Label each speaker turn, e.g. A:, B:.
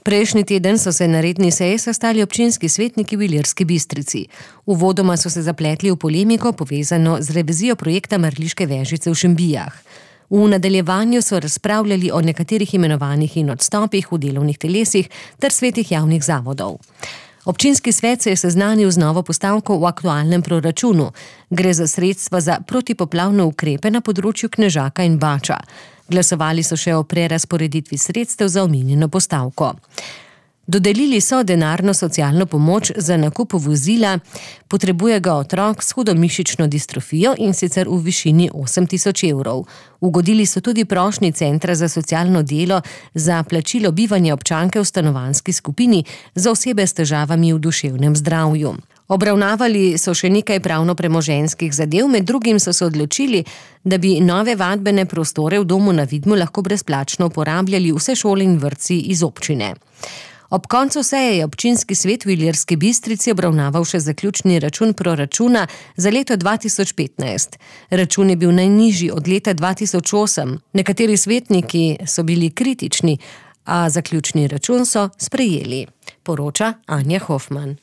A: Prejšnji teden so se na redni seji sestali občinski svetniki v Ilirski Bistrici. Uvodoma so se zapletli v polemiko povezano z revizijo projekta Mrliške vežice v Šembijah. V nadaljevanju so razpravljali o nekaterih imenovanjih in odstopih v delovnih telesih ter svetih javnih zavodov. Občinski svet se je seznanil z novo postavko v aktualnem proračunu. Gre za sredstva za protipoplavne ukrepe na področju Knežaka in Bača. Glasovali so še o prerazporeditvi sredstev za omenjeno postavko. Dodelili so denarno socialno pomoč za nakup vozila, potrebuje ga otrok s hudo mišično distrofijo in sicer v višini 8.000 evrov. Ugodili so tudi prošnji Centra za socialno delo za plačilo bivanja občanke v stanovanjski skupini za osebe s težavami v duševnem zdravju. Obravnavali so še nekaj pravno-premoženjskih zadev, med drugim so se odločili, da bi nove vadbene prostore v domu na Vidmu lahko brezplačno uporabljali vse šole in vrtci iz občine. Ob koncu seje je občinski svet v Ilirski Bistrici obravnaval še zaključni račun proračuna za leto 2015. Račun je bil najnižji od leta 2008. Nekateri svetniki so bili kritični, a zaključni račun so sprejeli, poroča Anja Hofman.